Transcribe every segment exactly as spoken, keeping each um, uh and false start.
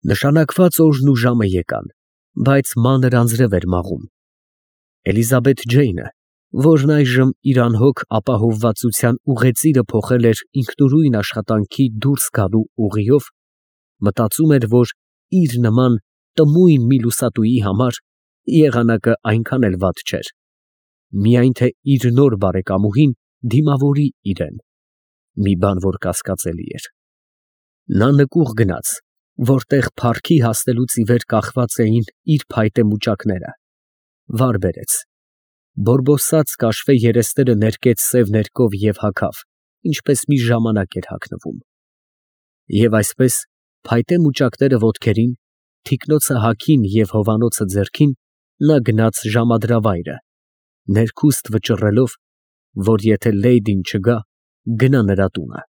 Նշանակված օրն ու ժամը եկան, բայց մանր անձրև էր մաղում։ Էլիզաբեթ Ջեյնը, որն այժմ իր անհոգ ապահովվածության ուղեծիրը փոխել էր ինքնուրույն աշխատանքի դուրս գալու ուղիով, մտածում էր, որ իր նման տմույն մի լուսատուի համար եղանակը այնքան էլ վատ չէր, միայն թե իր նոր բարեկամուհին դիմավորի իրան, մի բան, որ կասկածելի էր։ Նա նկուղ գնաց, որտեղ փառքի հասնելուց ի վեր կախված էին իր փայտե մուճակները, վար բերեց, բորբոսած կաշվե երեսները ներկեց սև ներկով և հագավ, ինչպես մի ժամանակ էր հագնվում։ Եվ այսպես, փայտե մուճակները ոտքերին, թիկնոցը հագին և հովանոցը ձեռքին, նա գնաց ժամադրավայրը, ներքուստ վճռելով, որ եթե լեյդին չգա, գնա նրա տունը։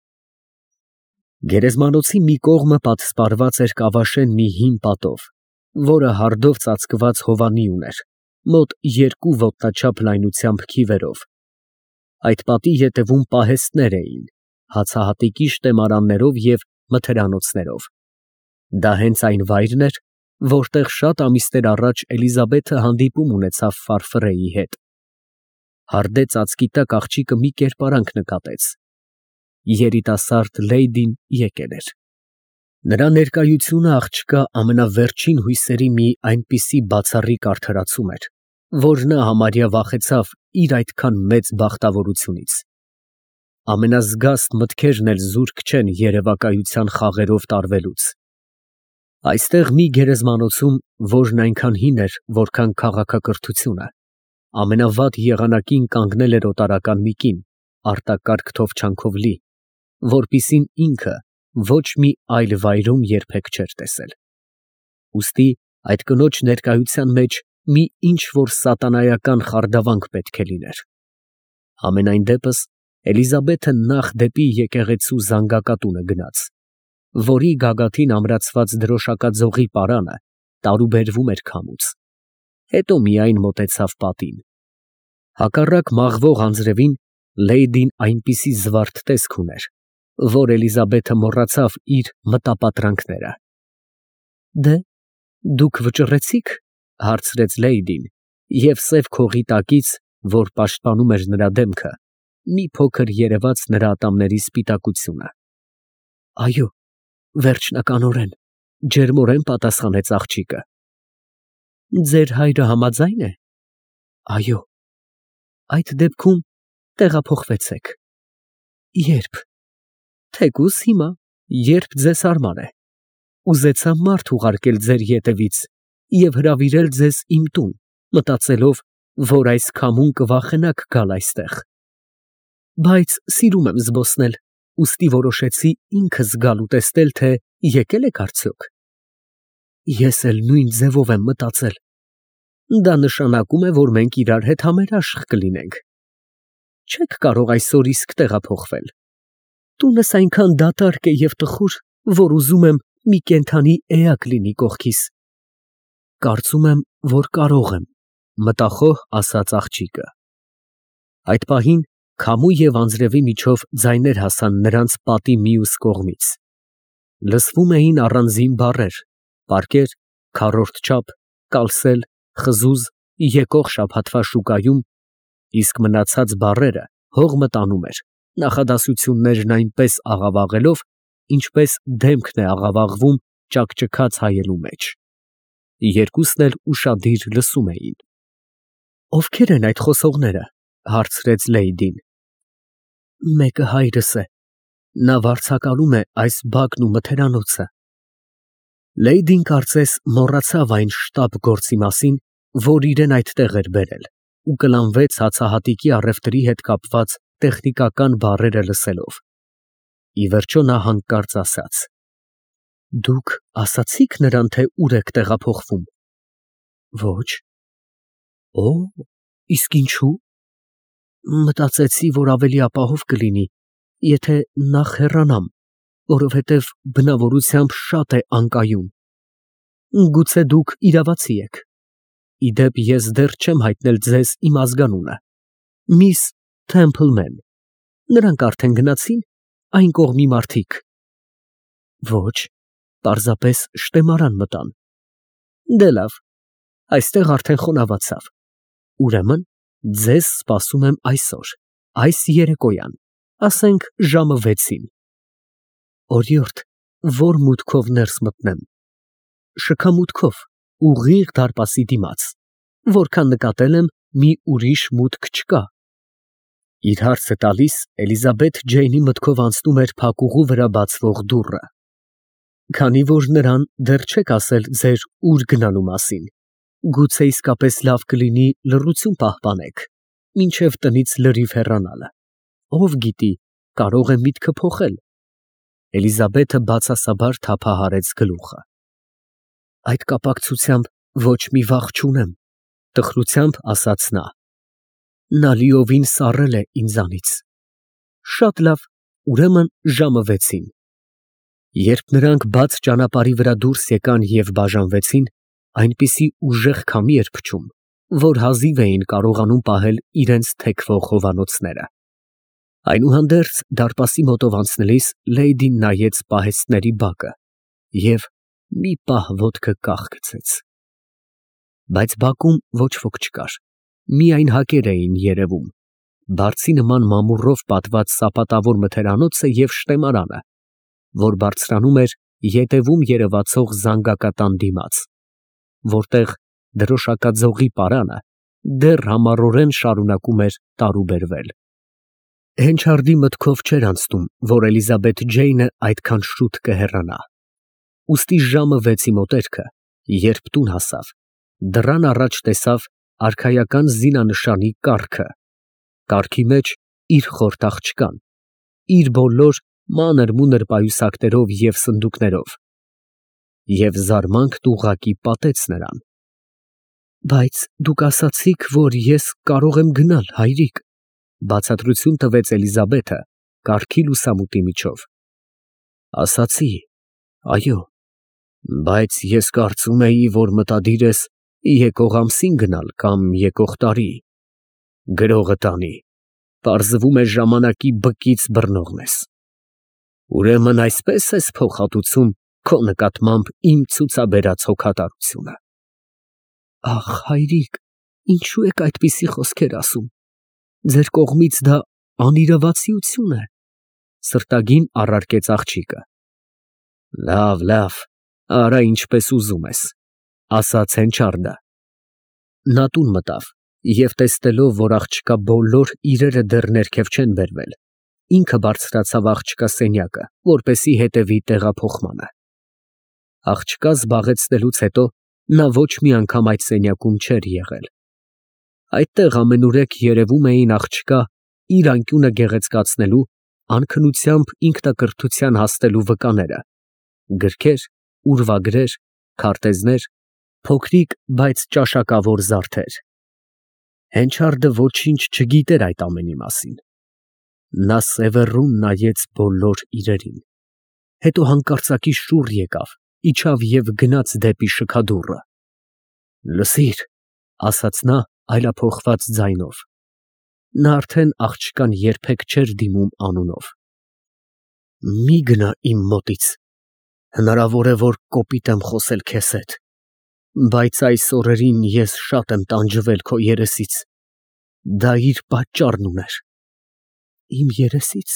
Գերեզմանոցի մի կողմը պատսպարված էր կավաշեն մի հին պատով, որը հարդով ծածկված հովանի ուներ, մոտ երկու ոտնաչափ լայնությամբ քիվերով։ Այդ պատի ետևում պահեստներ էին, հացահատիկի շտեմարաններով և մթերանոցներով։ Դա հենց այն վայրն էր, որտեղ շատ ամիսներ առաջ Էլիզաբեթը հանդիպում ունեցավ Ֆարֆրեի հետ։ Հարդե ծածկի տակ աղջիկը մի կերպարանք նկատեց. երիտասարդ լեյդին եկել էր։ Նրա ներկայությունը աղջկա ամենավերջին հույսերի մի այնպիսի բացառիկ արդարացում էր, որ նա համարյա վախեցավ իր այդքան մեծ բախտավորությունից։ Ամենազգաստ մտքերն էլ զուրկ չեն երևակայության խաղերով տարվելուց։ Այստեղ մի գերեզմանոցում, որն այնքան հին էր, որքան քաղաքակրթությունը, ամենավատ եղանակին կանգնել էր օտարական մի կին, արտակարգ թովչանքով լի, որպիսին ինքը ոչ մի այլ վայրում երբեք չէր տեսել։ Ուստի այդ կնոջ ներկայության մեջ մի ինչ֊որ սատանայական խարդավանք պետք է լիներ։ Համենայն դեպս, Էլիզաբեթը նախ դեպի եկեղեցու զանգակատունը գնաց, որի գագաթին ամրացված դրոշակաձողի պարանը տարուբերվում էր քամուց, հետո միայն մոտեցավ պատին։ Հակառակ մաղվող անձրևին լեյդին այնպիսի զվարթ տեսք ուներ, որ Էլիզաբեթը մոռացավ իր մտապատրանքները։ Դե, դուք վճռեցի՞ք, հարցրեց լեյդին, և սև քողի տակից, որ պաշտպանում էր նրա դեմքը, մի փոքր երևաց նրա ատամների սպիտակությունը։ Այո, վերջնականորեն, ջերմորեն պատասխանեց աղջիկը։ Ձեր հայրը համաձա՞յն է։ Այո։ Այդ դեպքում տեղափոխվեցեք։ Ե՞րբ։ Թեկուզ հիմա, երբ ձեզ հարմար է։ Ուզեցա մարդ ուղարկել ձեր ետևից և հրավիրել ձեզ իմ տուն, մտածելով, որ այս քամուն կվախենաք գալ այստեղ։ Բայց սիրում եմ զբոսնել, ուստի որոշեցի ինքս գալ ու տեսնել, թե եկել եք արդյոք։ Ես էլ նույն ձևով եմ մտածել։ Դա նշանակում է, որ մենք իրար հետ համերաշխ կլինենք։ Չեք կարող այսօր իսկ տեղափոխվել։ Տունս այնքան դատարկ է և տխուր, որ ուզում եմ մի կենդանի էակ լինի կողքիս։ Կարծում եմ, որ կարող եմ, մտախոհ ասաց աղջիկը։ Այդ պահին քամու և անձրևի միջով ձայներ հասան նրանց պատի մյուս կողմից։ Լսվում էին առանձին բառեր, պարկեր, քառորդ չափ, կալսել, խզուզ, եկող շաբաթվա շուկայում, իսկ մնացած բառերը հող մտանում էր, նախադասություններն այնպես աղավաղելով, ինչպես դեմքն է աղավաղվում ճաքճքած հայելու մեջ։ Երկուսն էլ ուշադիր լսում էին։ Ովքե՞ր են այդ խոսողները, հարցրեց լեյդին։ Մեկը հայրս է, նա վարձակալում է այս բակն ու մթերանոցը։ Լեյդին կարծես մոռացավ այն շտապ գործի մասին, որ իրեն այդտեղ էր բերել, ու կլանվեց հացահատիկի առևտրի հետ կապված տեխնիկական բառերը լսելով։ Ի վերջո նա հանկարծ ասաց. Դուք ասացի՞ք նրան, թե ուր եք տեղափոխվում։ Ոչ։ Օ, իսկ ինչու։ Մտածեցի, որ ավելի ապահով կլինի, եթե նախ հեռանամ, որովհետև բնավորությամբ շատ է անկայուն։ Գուցե դուք իրավացի եք։ Ի դեպ, ես դեռ չեմ հայտնել ձեզ իմ ազգանունը։ Միս Թեմփլմեն։ Նրանք արդեն գնացի՞ն, այն կողմի մարդիկ։ Ոչ, պարզապես շտեմարան մտան։ Դե լավ, այստեղ արդեն խոնավացավ։ Ուրեմն ձեզ սպասում եմ այսօր, այս երեկոյան, ասենք ժամը վեցին։ Օրիորդ, որ մուտքով ներս մտնեմ։ Շքամուտքով, ուղիղ դարպասի դիմաց, որքան նկատել եմ, մի ուրիշ մուտք չկա։ Իր հարցը տալիս Էլիզաբեթ Ջեյնի մտքով անցնում էր փակուղու վրա բացվող դուռը։ Քանի որ նրան դեռ չեք ասել ձեր ուր գնալու մասին, գուցե իսկապես լավ կլինի լռություն պահպանեք, մինչև տնից լրիվ հեռանալը։ Ով գիտի, կարող է միտքը փոխել։ Էլիզաբեթը բացասաբար թափահարեց գլուխը։ Այդ կապակցությամբ ոչ մի վախ չունեմ, տխրությամբ ասաց նա։ Նա լիովին սառել է ինձանից։ Շատ լավ, ուրեմն ժամը վեցին։ Երբ նրանք բաց ճանապարհի վրա դուրս եկան և բաժանվեցին, այնպիսի ուժեղ քամի էր փչում, որ հազիվ էին կարողանում պահել իրենց թեքվող հովանոցները։ Այնուհանդերձ դարպասի մոտով անցնելիս լեյդին նայեց պահեստների բակը և մի պահ ոտքը կախ գցեց։ Բայց բակում ոչ ոք չկար, միայն հակեր էին երևում, բարձի նման մամուռով պատված սապատավոր մթերանոցը և շտեմարանը, որ բարձրանում էր ետևում երևացող զանգակատան դիմաց, որտեղ դրոշակաձողի պարանը դեռ համառորեն շարունակում էր տարուբերվել։ Հենչարդի մտքով չէր անցնում, որ Էլիզաբեթ Ջեյնը այդքան շուտ կհեռանա։ Ուստի ժամը վեցի մոտերքը, երբ տուն հասավ, դռան առաջ տեսավ արքայական զինանշանի կառքը, կառքի մեջ իր խորթ աղջկան, իր բոլոր մանր֊մունր պայուսակներով և սնդուկներով, և զարմանքն ուղղակի պատեց նրան։ Բայց դուք ասացիք, որ ես կարող եմ գնալ, հայրիկ, բացատրություն տվեց Էլիզաբեթը կառքի լուսամուտի միջով։ Ասացի, այո, բայց ես կարծում էի, որ մտադիր ես եկող ամսին գնալ կամ եկող տարի, գրողը տանի, պարզվում է ժամանակի բկից բռնողն ես։ Ուրեմն այսպես ես փոխհատուցում քո նկատմամբ իմ ցուցաբերած հոգատարությունը։ Ախ, հայրիկ, ինչու եք այդպիսի խոսքեր ասում։ Ձեր կողմից դա անիրավացիություն է, սրտագին առարկեց աղջիկը։ Լավ, լավ, արա ինչպես ուզում ես, ասաց Հենչարդը։ Նա տուն մտավ և տեսնելով, որ աղջկա բոլոր իրերը դեռ ներքև չեն բերվել, ինքը բարձրացավ աղջկա սենյակը, որպեսզի հետևի տեղափոխմանը։ Աղջկա զբաղեցնելուց հետո նա ոչ մի անգամ այդ սենյակում չէր եղել։ Այդտեղ ամենուրեք երևում էին աղջկա իր անկյունը գեղեցկացնելու, անքնությամբ ինքնակրթության հասնելու վկաները, գրքեր, ուրվագրեր, քարտեզներ, փոքրիկ, բայց ճաշակավոր զարդեր։ Հենչարդը ոչինչ չգիտեր այդ ամենի մասին։ Նա սևեռուն նայեց բոլոր իրերին, հետո հանկարծակի շուռ եկավ, իջավ և գնաց դեպի շքադուռը։ Լսիր, ասաց նա այլափոխված ձայնով։ Նա արդեն աղջկան երբեք չէր դիմում անունով։ Մի գնա իմ մոտից, հնարավոր է, որ կոպիտ եմ խոսել քեզ հետ, բայց այս օրերին ես շատ եմ տանջվել քո երեսից, դա իր պատճառն ուներ։ Իմ երեսից,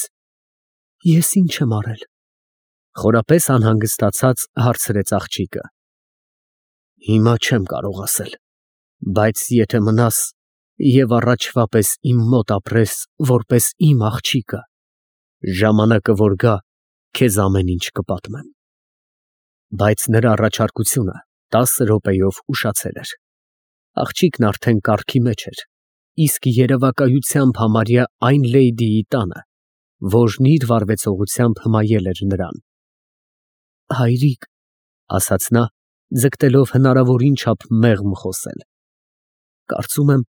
ես ինչ եմ արել։ Խորապես անհանգստացած հարցրեց աղջիկը։ Հիմա չեմ կարող ասել, բայց եթե մնաս և առաջվա պես իմ մոտ ապրես որպես իմ աղջիկը, ժամանակը որ գա, քեզ ամեն ինչ կպատմեմ։ Բայց նրա առաջարկությունը տասը րոպեով ուշացել էր։ Աղջիկն արդեն կառքի մեջ էր, իսկ երևակայությամբ համարյա այն լեյդիի տանը, որն իր վարվեցողությամբ հմայել էր նրան։ Հայրիկ, ասաց նա, ձգտելով հնարավորին չափ մեղմ խոսել, կարծում եմ,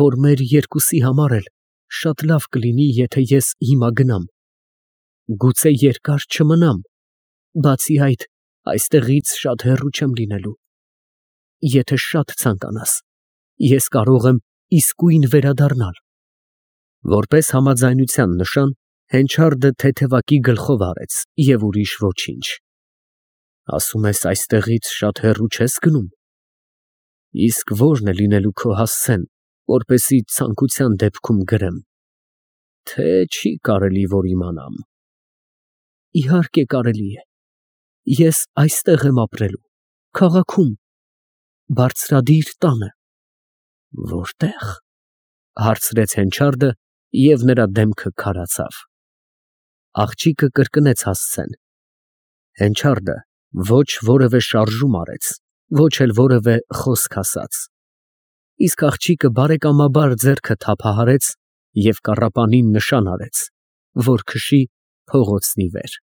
որ մեր երկուսի համար էլ շատ լավ կլինի, եթե ես հիմա գնամ։ Գուցե երկար չմնամ, բացի այդ, այստեղից շատ հեռու չեմ լինելու։ Եթե շատ ցանկանաս, ես կարող եմ իսկույն վերադառնալ։ Որպես համաձայնության նշան, Հենչարդը թեթևակի գլխով արեց և ուրիշ ոչինչ։ Ասում ես այստեղից շատ հեռու չես գնում։ Իսկ ո՞րն է լինելու քո հասցեն, որպեսզի ցանկության դեպքում գրեմ, թե չի կարելի որ իմանամ։ Իհարկե կարելի է, ես այստեղ եմ ապրելու, քաղաքում, բարձրադիր տանը։ Որտե՞ղ, հարցրեց Հենչարդը, և նրա դեմքը քարացավ։ Աղջիկը կրկնեց հասցեն։ Հենչարդը ոչ որևէ շարժում արեց, ոչ էլ որևէ խոսք ասաց, իսկ աղջիկը բարեկամաբար ձեռքը թափահարեց և կառապանին նշան արեց, որ քշի փողոցն ի վեր։